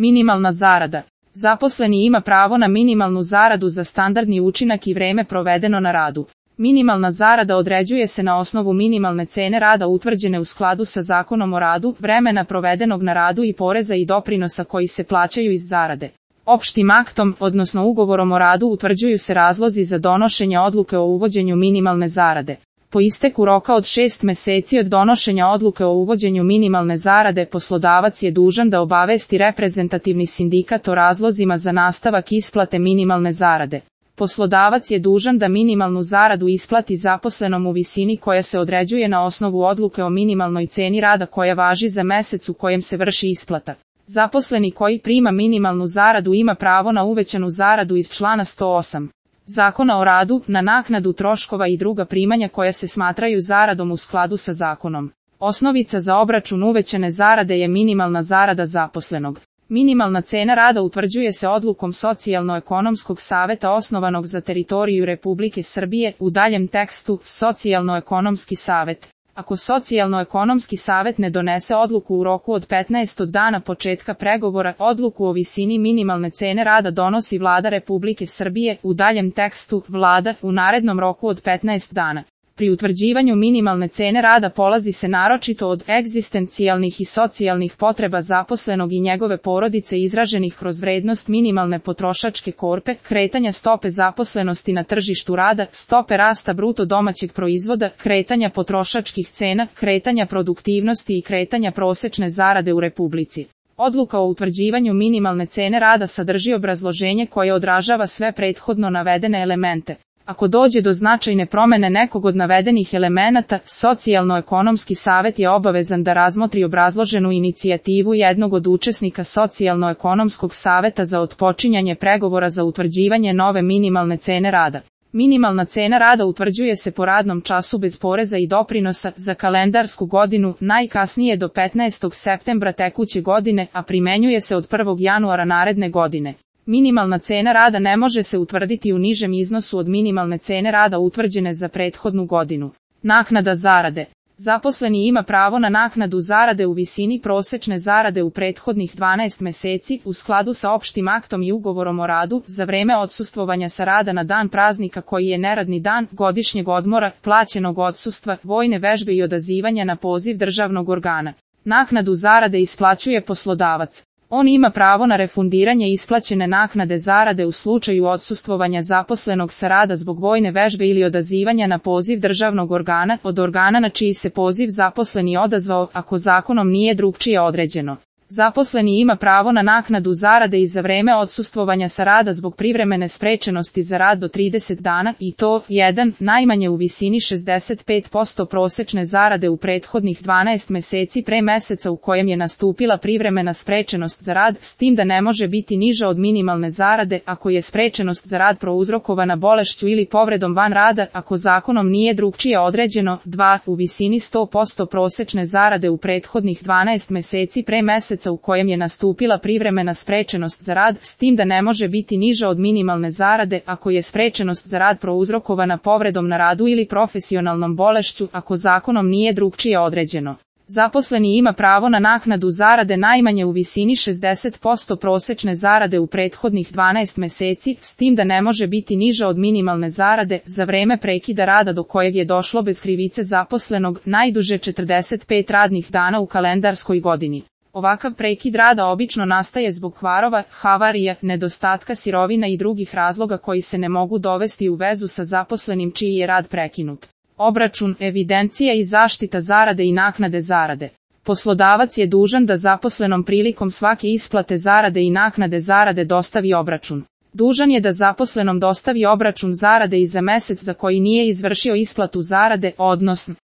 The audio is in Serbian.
Minimalna zarada. Zaposleni ima pravo na minimalnu zaradu za standardni učinak i vreme provedeno na radu. Minimalna zarada određuje se na osnovu minimalne cene rada utvrđene u skladu sa Zakonom o radu, vremena provedenog na radu i poreza i doprinosa koji se plaćaju iz zarade. Opštim aktom, odnosno ugovorom o radu, utvrđuju se razlozi za donošenje odluke o uvođenju minimalne zarade. Po isteku roka od 6 meseci od donošenja odluke o uvođenju minimalne zarade, poslodavac je dužan da obavesti reprezentativni sindikat o razlozima za nastavak isplate minimalne zarade. Poslodavac je dužan da minimalnu zaradu isplati zaposlenom u visini koja se određuje na osnovu odluke o minimalnoj ceni rada koja važi za mesec u kojem se vrši isplata. Zaposleni koji prima minimalnu zaradu ima pravo na uvećanu zaradu iz člana 108. Zakona o radu, na naknadu troškova i druga primanja koja se smatraju zaradom u skladu sa zakonom. Osnovica za obračun uvećane zarade je minimalna zarada zaposlenog. Minimalna cena rada utvrđuje se odlukom Socijalno-ekonomskog saveta osnovanog za teritoriju Republike Srbije, u daljem tekstu, Socijalno-ekonomski savet. Ako Socijalno-ekonomski savet ne donese odluku u roku od 15 od dana početka pregovora, odluku o visini minimalne cene rada donosi Vlada Republike Srbije, u daljem tekstu, Vlada, u narednom roku od 15 dana. Pri utvrđivanju minimalne cene rada polazi se naročito od egzistencijalnih i socijalnih potreba zaposlenog i njegove porodice izraženih kroz vrednost minimalne potrošačke korpe, kretanja stope zaposlenosti na tržištu rada, stope rasta bruto domaćeg proizvoda, kretanja potrošačkih cena, kretanja produktivnosti i kretanja prosečne zarade u Republici. Odluka o utvrđivanju minimalne cene rada sadrži obrazloženje koje odražava sve prethodno navedene elemente. Ako dođe do značajne promene nekog od navedenih elemenata, Socijalno-ekonomski savet je obavezan da razmotri obrazloženu inicijativu jednog od učesnika Socijalno-ekonomskog saveta za otpočinjanje pregovora za utvrđivanje nove minimalne cene rada. Minimalna cena rada utvrđuje se po radnom času bez poreza i doprinosa za kalendarsku godinu, najkasnije do 15. septembra tekuće godine, a primenjuje se od 1. januara naredne godine. Minimalna cena rada ne može se utvrditi u nižem iznosu od minimalne cene rada utvrđene za prethodnu godinu. Naknada zarade. Zaposleni ima pravo na naknadu zarade u visini prosečne zarade u prethodnih 12 meseci, u skladu sa opštim aktom i ugovorom o radu, za vreme odsustvovanja sa rada na dan praznika koji je neradni dan, godišnjeg odmora, plaćenog odsustva, vojne vežbe i odazivanja na poziv državnog organa. Naknadu zarade isplaćuje poslodavac. On ima pravo na refundiranje isplaćene naknade zarade u slučaju odsustvovanja zaposlenog sa rada zbog vojne vežbe ili odazivanja na poziv državnog organa, od organa na čiji se poziv zaposleni odazvao, ako zakonom nije drugčije određeno. Zaposleni ima pravo na naknadu zarade i za vreme odsustvovanja sa rada zbog privremene sprečenosti za rad do 30 dana i to, 1, najmanje u visini 65% prosečne zarade u prethodnih 12 meseci pre meseca u kojem je nastupila privremena sprečenost za rad, s tim da ne može biti niža od minimalne zarade ako je sprečenost za rad prouzrokovana bolešću ili povredom van rada, ako zakonom nije drugčije određeno, 2, u visini 100% prosečne zarade u prethodnih 12 meseci pre meseca u kojem je nastupila privremena sprečenost za rad, s tim da ne može biti niža od minimalne zarade ako je sprečenost za rad prouzrokovana povredom na radu ili profesionalnom bolešću, ako zakonom nije drugčije određeno. Zaposleni ima pravo na naknadu zarade najmanje u visini 60% prosečne zarade u prethodnih 12 meseci, s tim da ne može biti niža od minimalne zarade, za vreme prekida rada do kojeg je došlo bez krivice zaposlenog, najduže 45 radnih dana u kalendarskoj godini. Ovakav prekid rada obično nastaje zbog kvarova, havarija, nedostatka sirovina i drugih razloga koji se ne mogu dovesti u vezu sa zaposlenim čiji je rad prekinut. Obračun, evidencija i zaštita zarade i naknade zarade. Poslodavac je dužan da zaposlenom prilikom svake isplate zarade i naknade zarade dostavi obračun. Dužan je da zaposlenom dostavi obračun zarade i za mesec za koji nije izvršio isplatu zarade, odnosno